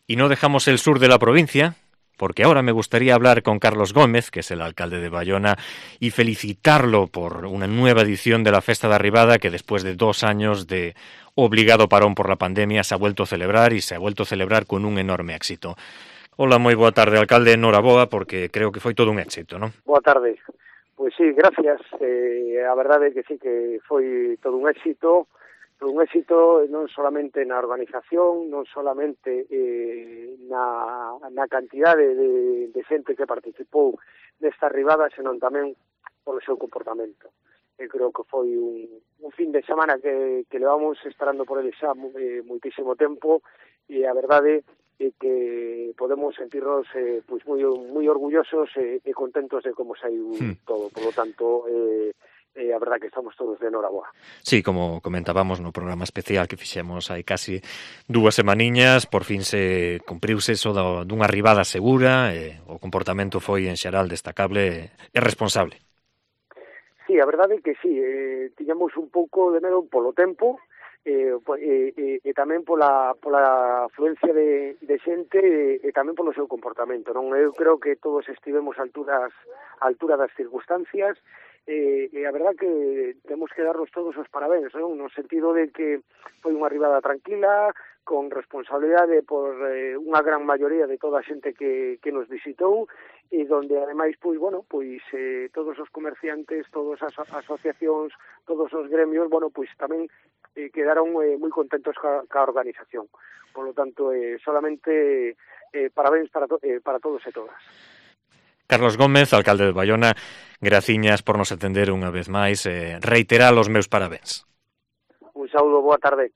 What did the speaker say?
Y no dejamos el sur de la provincia, porque ahora me gustaría hablar con Carlos Gómez, que es el alcalde de Bayona, y felicitarlo por una nueva edición de la Festa da Arribada que después de 2 años de obligado parón por la pandemia se ha vuelto a celebrar y se ha vuelto a celebrar con un enorme éxito. Hola, moi boa tarde, alcalde, enhoraboa, porque creo que foi todo un éxito, non? Boa tarde. Pois sí, gracias. A verdade é que sí que foi todo un éxito non solamente na organización, non solamente na cantidade de xente que participou nesta arribada, senón tamén polo seu comportamento. Eu creo que foi un fin de semana que levamos esperando por ele xa moitísimo tempo, e a verdade é que podemos sentirnos pois moi orgullosos e contentos de como saiu todo. Por lo tanto, a verdade que estamos todos de enhoraboa. Sí, como comentábamos no programa especial que fixemos hai casi 2 semaniñas, por fin se cumpriuse eso dunha arribada segura, o comportamento foi en xeral destacable e responsable. Sí, a verdade é que sí, tiñamos un pouco de medo polo tempo, e tamén pola afluencia de xente e tamén polo seu comportamento, non? Eu creo que todos estivemos a altura das circunstancias, e a verdad que temos que darnos todos os parabéns, non? No sentido de que foi unha arribada tranquila, con responsabilidade por unha gran maioría de toda a xente que nos visitou, e donde ademais, pois, bueno, pois todos os comerciantes, todas as asociacións, todos os gremios, bueno, pois tamén quedaron moi contentos ca organización. Por lo tanto, solamente parabéns para todos e todas. Carlos Gómez, alcalde de Bayona, graciñas por nos atender unha vez máis, reiterar os meus parabéns. Un saúdo, boa tarde.